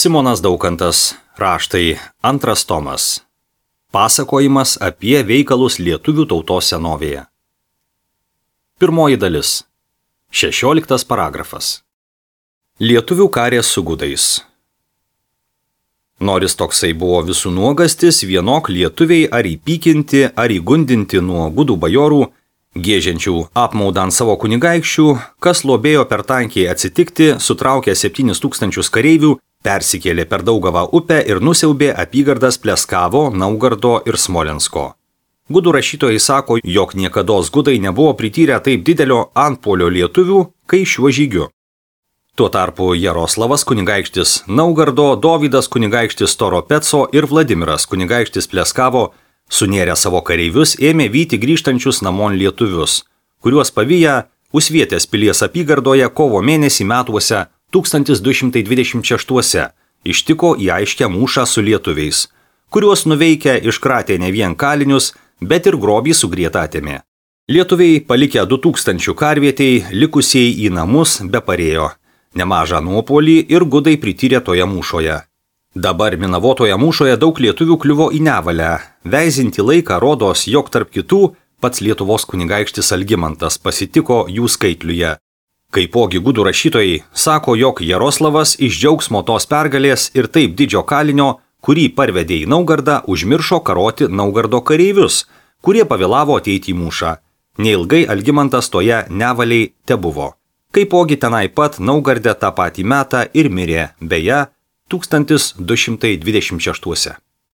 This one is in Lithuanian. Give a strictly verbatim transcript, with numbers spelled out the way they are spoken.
Simonas Daukantas, raštai, antras tomas. Pasakojimas apie veikalus lietuvių tautos senovėje. Pirmoji dalis. Šešioliktas paragrafas. Lietuvių karė su gudais. Noris toksai buvo visų nuogastis, vienok lietuviai ar įpykinti, ar įgundinti nuo gudų bajorų, gėžiančių apmaudant savo kunigaikščių, kas lobėjo per tankiai atsitikti, sutraukė septynis tūkstančius kareivių, persikėlė per Daugavą upę ir nusiaubė apygardas Pleskavo, Naugardo ir Smolensko. Gudų rašytojai sako, jog niekados gudai nebuvo prityrę taip didelio antpuolio lietuvių, kai šiuo žygiu. Tuo tarpu Jaroslavas kunigaikštis Naugardo, Dovydas kunigaikštis Toropeco ir Vladimiras kunigaikštis Pleskavo sunėrę savo kareivius ėmė vyti grįžtančius namon lietuvius, kuriuos paviję Usvietės pilies apygardoje kovo mėnesį metuose tūkstantis du šimtai dvidešimt šeštuose ištiko į aiškę mūšą su lietuviais, kuriuos nuveikę iškratė ne vien kalinius, bet ir grobį sugrietą atėmė. Lietuviai palikę du tūkstančių karvietei, likusieji į namus beparėjo. Nemažą nuopolį ir gudai prityrė toje mūšoje. Dabar minavotoje mūšoje daug lietuvių kliuvo į nevalę. Veizinti laiką rodos, jog tarp kitų pats Lietuvos kunigaikštis Algimantas pasitiko jų skaitliuje. Kaipogi gudų rašytojai sako, jog Jaroslavas iš džiaugsmo tos pergalės ir taip didžio kalinio, kurį parvedė į Naugardą, užmiršo karoti Naugardo kareivius, kurie pavėlavo ateiti į mūšą. Neilgai Algimantas toje nevaliai tebuvo. Kaipogi tenai pat Naugarde tą patį metą ir mirė, beje, tūkstantis du šimtai dvidešimt šeštuose.